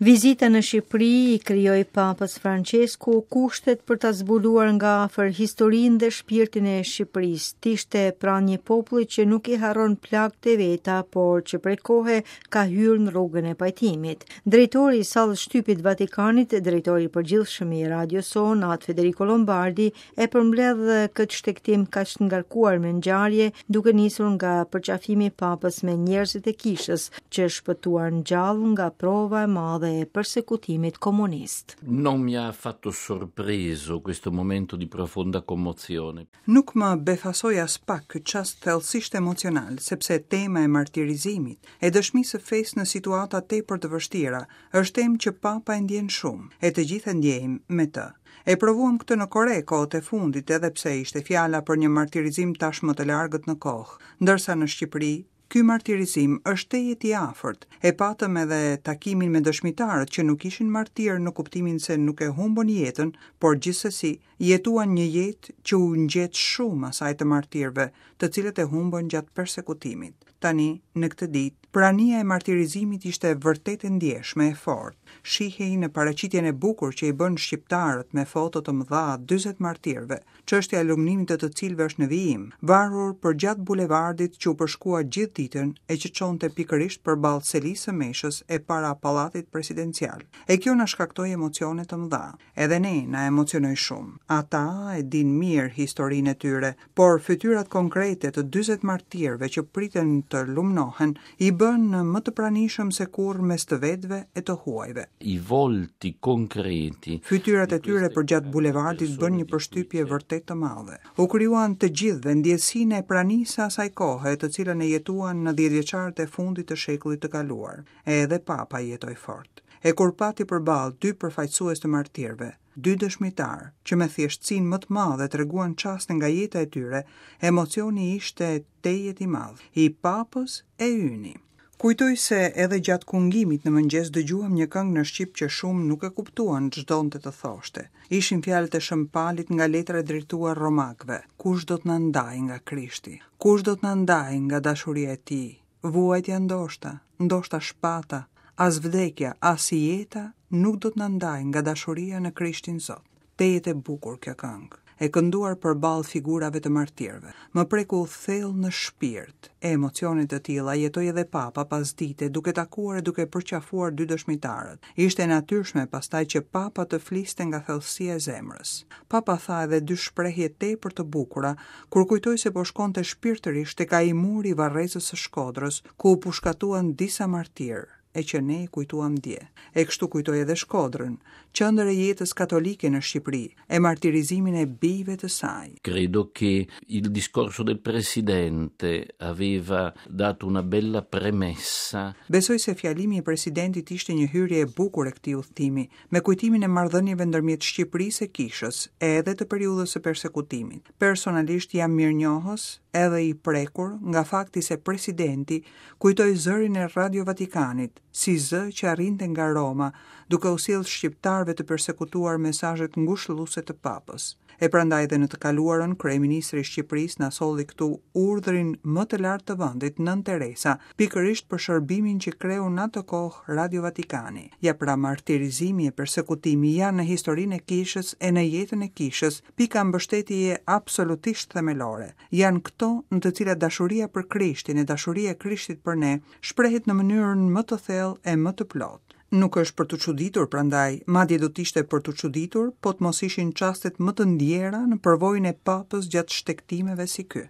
Vizita në Shqipëri i krijoi Papës Françesku kushtet për ta zbuluar nga afër historinë dhe shpirtin e Shqipërisë. Të ishte pranë një populli që nuk i harron plagët e veta, por që prej kohe ka hyrë në rrugën e pajtimit. Drejtori i sallës shtypit Vatikanit, drejtori i përgjithshëm i radios sonë, Atë Federico Lombardi, e përmbledh këtë shtegtim kaq të ngarkuar me ngjarje, duke nisur nga përqafimi i Papës me njerëzit e kishës që shpëtuan gjallë nga prova e madhe e persekutimit komunist. Non mi ha affatto sorpreso questo momento di profonda commozione. Nuk më befasoi aspak ky çast thellësisht emocional, sepse tema e martirizimit, e dëshmisë së fesë në situata tepër të vështira, është temë që Papa e ndjen shumë, e të gjithë e ndjejmë me të. E provuam këtë në Kore kohët e fundit edhe pse ishte fjala për një martirizim tashmë të largët në kohë, ndërsa në Shqipëri ky martirizim është tejet i afërt. E patëm edhe takimin me dëshmitarët që nuk ishin martirë në kuptimin se nuk e humbën jetën, por gjithsesi jetuan një jetë që u ngjet shumë asaj të martirëve, të cilët e humbën gjatë persekutimit. Tani, në këtë ditë, prania e martirizimit ishte vërtet e ndjeshme, e fortë. Shihej në paraqitjen e bukur që i bënë shqiptarët me foto të mëdha 40 martirëve, çështja e lumnimit të të cilëve është në vijim, varur përgjatë bulevardit që u përshkua gjithë ditën e që çonte pikërisht përballë selisë së meshës e para pallatit presidencial. E kjo na shkaktoi emocione të mëdha. Edhe ne na emocionoi shumë. Ata e dinë mirë historinë e tyre, por fytyrat konkrete të 40 martirëve që priten të lumnohen i bënë më të pranishëm se kurrë mes të vetëve e të huajve. I volti concreti. Fytyrat e tyre përgjatë bulevardit bënë një përshtypje vërtet të madhe. U krijuan të gjithëve ndjesinë e pranisë së asaj kohe, të cilën e jetuan në dhjetëvjeçarët e fundit të shekullit të kaluar. E edhe Papa jetoi fort. E kur pati përballë dy përfaqësues të martirëve, dy dëshmitarë, që me thjeshtësinë më të madhe treguan çaste nga jeta e tyre, emocioni ishte tejet i madh, i Papës e yni. Kujtoj se edhe gjatë kungimit në mëngjes dëgjuam një këngë në shqip që shumë nuk e kuptuan ç'donte të thoshte. Ishin fjalët e Shën Palit nga letra e drejtuar romakëve, Kush do të na ndajë nga Krishti? Kush do të na ndajë nga dashuria e tij? Vuajtja ndoshta, ndoshta shpata, as vdekja, as jeta nuk do të na ndajë nga dashuria në Krishtin Zot. Tejet e bukur kjo këngë, e kënduar përballë figurave të martirëve. Më preku thellë në shpirt. E emocione të tilla jetoi edhe Papa pasdite duke takuar e duke përqafuar dy dëshmitarët. Ishte e natyrshme pastaj që Papa të fliste nga thellësia e zemrës. Papa tha edhe dy shprehje tepër të bukura kur kujtoi se po shkonte shpirtërisht tek ai mur i varrezës së Shkodrës, ku u pushkatuan disa martirë, e që ne i kujtuam dje. E kështu kujtoi edhe Shkodrën, qendër e jetës katolike në Shqipëri, e martirizimin e bijve të saj. Credo che il discorso del Presidente aveva dato una bella premessa. Besoj se fjalimi i Presidentit ishte një hyrje e bukur e këtij udhëtimi, me kujtimin e marrëdhënieve ndërmjet Shqipërisë e Kishës, e edhe të periudhës së persekutimit. Personalisht jam mirënjohës edhe i prekur nga fakti se presidenti kujtoi zërin e Radio Vatikanit, si zë që arrinte nga Roma, duke u sjellë shqiptarëve të persekutuar mesazhet ngushëlluese të Papës. E prandaj edhe në të kaluarën kryeministri i Shqipërisë na solli këtu urdhrin më të lartë të vendit, Nënë Teresa, pikërisht për shërbimin që kreu në atë kohë Radio Vatikani. Ja pra martirizimi e persekutimi janë në historinë e kishës e në jetën e kishës pika mbështetjeje absolutisht themelore. Janë këto në të cilat dashuria për Krishtin e dashuria e Krishtit për ne shprehet në mënyrën më të thellë e më të plotë. Nuk është për t'u çuditur prandaj, madje do të ishte për t'u çuditur, po të mos ishin çastet më të ndjera në përvojën e Papës gjatë shtegtimeve si ky.